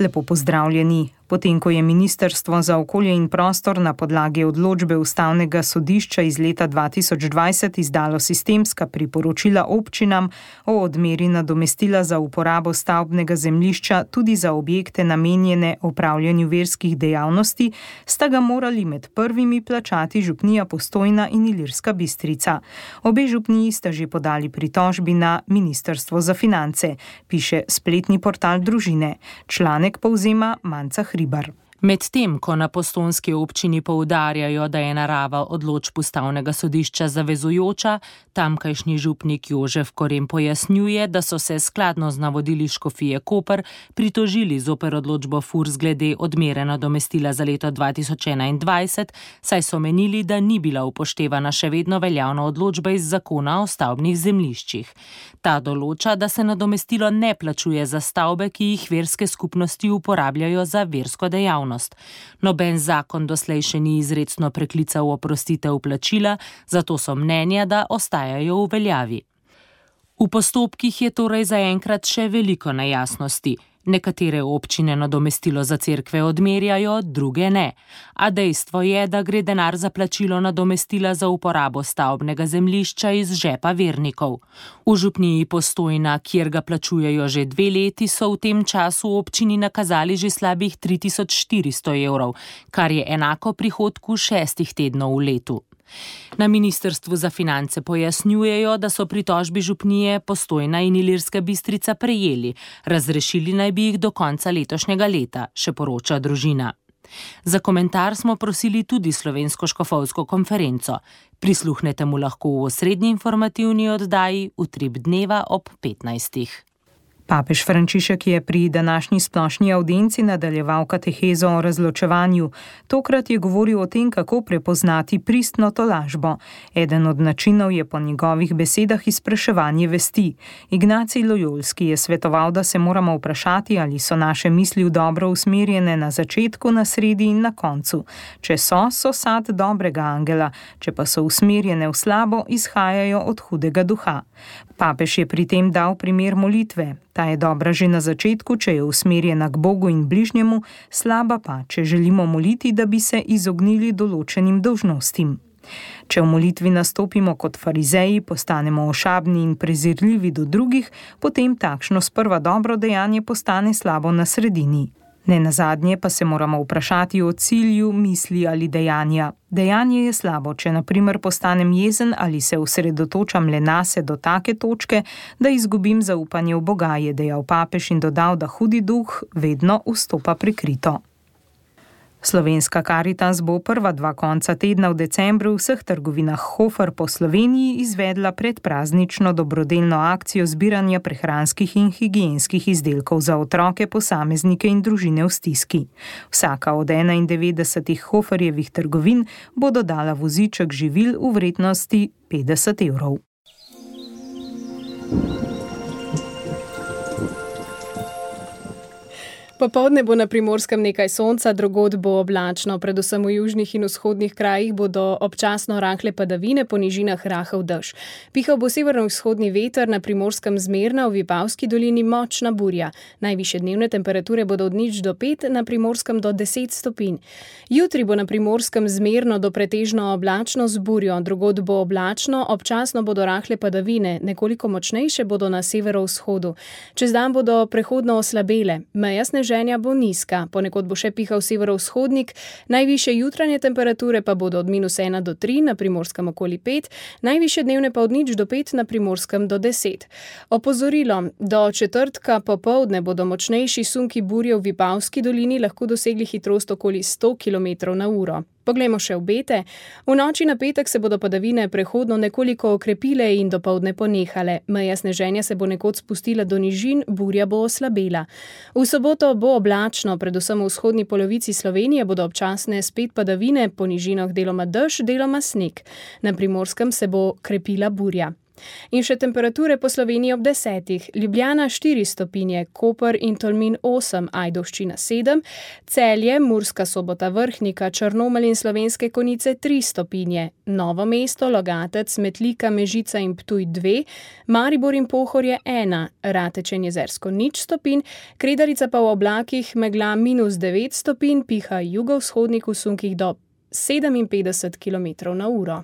Lepo pozdravljeni. Potem, ko je Ministrstvo za okolje in prostor na podlagi odločbe Ustavnega sodišča iz leta 2020 izdalo sistemska priporočila občinam o odmeri nadomestila za uporabo stavbnega zemljišča tudi za objekte namenjene opravljanju verskih dejavnosti, sta ga morali med prvimi plačati župnija Postojna in Ilirska Bistrica. Obe župniji sta že podali pritožbi na Ministrstvo za finance, piše spletni portal Družine. Članek povzema Manca Hribar. Medtem, ko na postojnski občini poudarjajo, da je narava odločb Ustavnega sodišča zavezujoča, tamkajšnji župnik Jožef Korem pojasnjuje, da so se skladno z navodili škofije Koper pritožili zoper odločbo FURS glede odmere nadomestila za leto 2021, saj so menili, da ni bila upoštevana še vedno veljavna odločba iz zakona o stavbnih zemljiščih. Ta določa, da se nadomestilo ne plačuje za stavbe, ki jih verske skupnosti uporabljajo za versko dejavnost. Noben zakon doslej še ni izrecno preklical oprostitev plačila, zato so mnenja, da ostajajo v veljavi. V postopkih je torej zaenkrat še veliko nejasnosti. Nekatere občine nadomestilo za cerkve odmerjajo, druge ne. A dejstvo je, da gre denar za plačilo nadomestila za uporabo stavbnega zemljišča iz žepa vernikov. V župniji Postojna, kjer ga plačujejo že 2 leti, so v tem času občini nakazali že slabih 3400 evrov, kar je enako prihodku 6 tednov v letu. Na Ministrstvu za finance pojasnjujejo, da so pritožbi župnije Postojna in Ilirska Bistrica prejeli, razrešili naj bi jih do konca letošnjega leta, še poroča Družina. Za komentar smo prosili tudi Slovensko škofovsko konferenco. Prisluhnete mu lahko v osrednji informativni oddaji Utrip dneva ob 15. Papež Frančišek je pri današnji splošni avdienci nadaljeval katehezo o razločevanju. Tokrat je govoril o tem, kako prepoznati pristno tolažbo. Eden od načinov je po njegovih besedah izpraševanje vesti. Ignacij Lojolski je svetoval, da se moramo vprašati, ali so naše misli v dobro usmerjene na začetku, na sredi in na koncu. Če so sad dobrega angela, če pa so usmerjene v slabo, izhajajo od hudega duha. Papež je pri tem dal primer molitve. Ta je dobra že na začetku, če je usmerjena k Bogu in bližnjemu, slaba pa, če želimo moliti, da bi se izognili določenim dolžnostim. Če v molitvi nastopimo kot farizeji, postanemo ošabni in prezirljivi do drugih, potem takšno sprva dobro dejanje postane slabo na sredini. Nenazadnje pa se moramo vprašati o cilju, misli ali dejanja. Dejanje je slabo, če na primer postanem jezen ali se osredotočam le nase do take točke, da izgubim zaupanje v Boga, je dejal papež in dodal, da hudi duh vedno vstopa prikrito. Slovenska Karitas bo prva 2 konca tedna v decembru v vseh trgovinah Hofer po Sloveniji izvedla predpraznično dobrodelno akcijo zbiranja prehranskih in higienskih izdelkov za otroke, posameznike in družine v stiski. Vsaka od 91 Hoferjevih trgovin bo dodala voziček živil v vrednosti 50 evrov. Popoldne bo na Primorskem nekaj sonca, drugod bo oblačno, predvsem v južnih in vzhodnih krajih bodo občasno rahle padavine, po nižinah rahel dež. Pihal bo severno-vzhodni veter, na Primorskem zmerna, v Vipavski dolini močna burja. Najvišje dnevne temperature bodo od 0 do 5, na Primorskem do 10 stopinj. Jutri bo na Primorskem zmerno do pretežno oblačno z burjo, drugod bo oblačno, občasno bodo rahle padavine, nekoliko močnejše bodo na severovzhodu. Čez dan bodo prehodno oslabele, meja sneženja bo nizka, ponekod bo še pihal severovzhodnik, najvišje jutranje temperature pa bodo od -1 do 3, na Primorskem okoli 5, najvišje dnevne pa od 0 do 5, na Primorskem do 10. Opozorilo, do četrtka popoldne bodo močnejši sunki burje v Vipavski dolini lahko dosegli hitrost okoli 100 km/h. Poglejmo še obete. V noči na petek se bodo padavine prehodno nekoliko okrepile in dopoldne ponehale. Meja sneženja se bo nekod spustila do nižin, burja bo oslabela. V soboto bo oblačno, predvsem v vzhodni polovici Slovenije bodo občasne spet padavine, po nižinah deloma dež, deloma sneg. Na Primorskem se bo krepila burja. In še temperature po Sloveniji ob 10. Ljubljana 4 stopinje, Koper in Tolmin 8, Ajdovščina 7, Celje, Murska Sobota, Vrhnika, Črnomelj in Slovenske Konjice 3 stopinje, Novo mesto, Logatec, Metlika, Mežica in Ptuj 2, Maribor in Pohorje 1, Rateče in Jezersko 0 stopinj, Kredarica pa v oblakih, megla -9 stopinj, piha jugovzhodnik v sunkih do 57 km/h.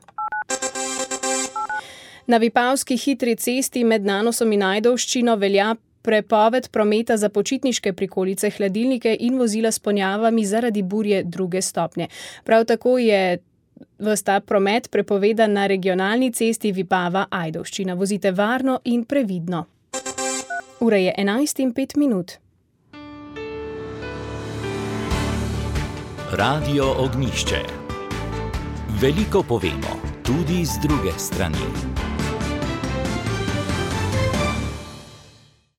Na Vipavski hitri cesti med Nanosom in Ajdovščino velja prepoved prometa za počitniške prikolice, hladilnike in vozila s ponjavami zaradi burje 2. stopnje. Prav tako je ves ta promet prepovedan na regionalni cesti Vipava-Ajdovščina. Vozite varno in previdno. Ura je 11:05. Radio Ognjišče. Veliko povemo, tudi z druge strani.